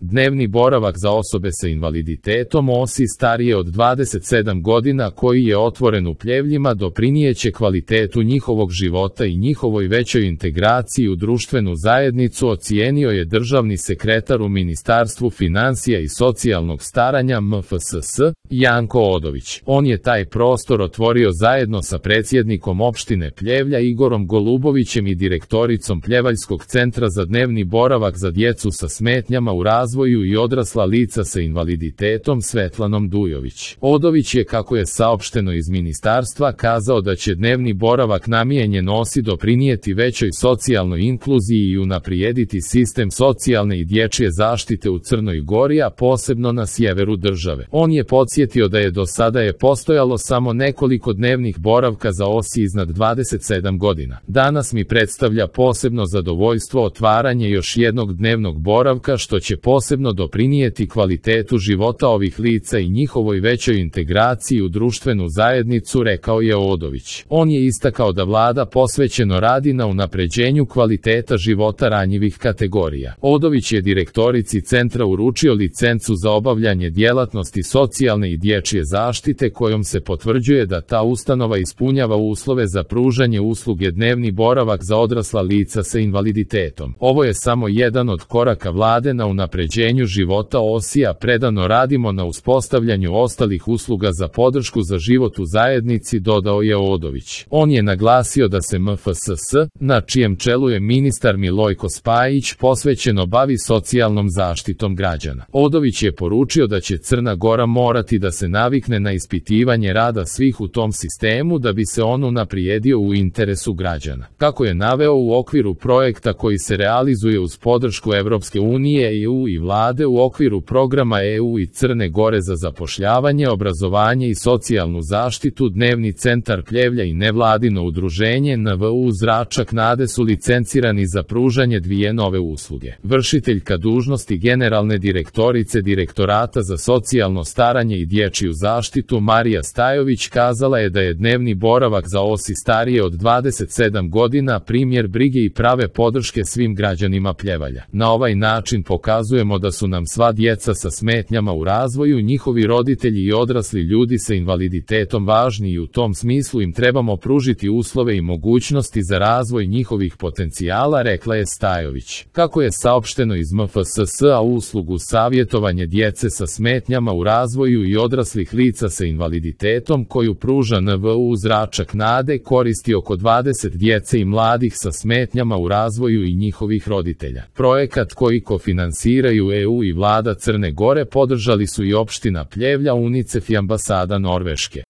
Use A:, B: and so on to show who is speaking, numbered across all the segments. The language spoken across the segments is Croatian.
A: Dnevni boravak za osobe sa invaliditetom OSI starije od 27 godina koji je otvoren u Pljevljima doprinijeće kvalitetu njihovog života i njihovoj većoj integraciji u društvenu zajednicu, ocijenio je državni sekretar u Ministarstvu financija i socijalnog staranja MFSS, Janko Odović. On je taj prostor otvorio zajedno sa predsjednikom opštine Pljevlja Igorom Golubovićem i direktoricom Pljevaljskog centra za dnevni boravak za djecu sa smetnjama u razvoju i odrasla lica sa invaliditetom Svetlanom Dujović. Odović je, kako je saopšteno iz ministarstva, kazao da će dnevni boravak namijenjen OSI doprinijeti većoj socijalnoj inkluziji i unaprijediti sistem socijalne i dječje zaštite u Crnoj Gori, a posebno na sjeveru države. On je podsjetio da je do sada postojalo samo nekoliko dnevnih boravka za OSI iznad 27 godina. Danas mi predstavlja posebno zadovoljstvo otvaranje još jednog dnevnog boravka što će posebno doprinijeti kvalitetu života ovih lica i njihovoj većoj integraciji u društvenu zajednicu, rekao je Odović. On je istakao da vlada posvećeno radi na unapređenju kvaliteta života ranjivih kategorija. Odović je direktorici centra uručio licencu za obavljanje djelatnosti socijalne i dječje zaštite kojom se potvrđuje da ta ustanova ispunjava uslove za pružanje usluge dnevni boravak za odrasla lica sa invaliditetom. Ovo je samo jedan od koraka vlade na unapređenju života OSI-a, predano radimo na uspostavljanju ostalih usluga za podršku za život u zajednici, dodao je Odović. On je naglasio da se MFSS, na čijem čelu je ministar Milojko Spajić, posvećeno bavi socijalnom zaštitom građana. Odović je poručio da će Crna Gora morati da se navikne na ispitivanje rada svih u tom sistemu da bi se on unaprijedio u interesu građana. Kako je naveo, u okviru projekta koji se realizuje uz podršku Evropske unije, EU i vlade u okviru programa EU i Crne Gore za zapošljavanje, obrazovanje i socijalnu zaštitu, Dnevni centar Pljevlja i nevladino udruženje NVU Zračak Nade su licencirani za pružanje dvije nove usluge. Vršiteljka dužnosti generalne direktorice Direktorata za socijalno staranje i dječju zaštitu Marija Stajović kazala je da je dnevni boravak za OSI starije od 27 godina primjer brige i prave podrške svim građanima Pljevalja. Na ovaj način pokazujemo da su nam sva djeca sa smetnjama u razvoju, njihovi roditelji i odrasli ljudi sa invaliditetom važni i u tom smislu im trebamo pružiti uslove i mogućnosti za razvoj njihovih potencijala, rekla je Stajović. Kako je saopšteno iz MFSS-a, uslugu savjetovanje djece sa smetnjama u razvoju i odraslih lica sa invaliditetom koju pruža NVU Zračak Nade koristi oko 20 djece i mladih sa smetnjama u razvoju i njihovih roditelja. Projekat koji kofinansiraju EU i vlada Crne Gore podržali su i opština Pljevlja, UNICEF i ambasada Norveške.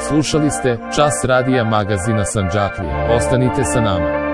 A: Slušali ste Čas radija magazina Sandžaklije. Ostanite sa nama.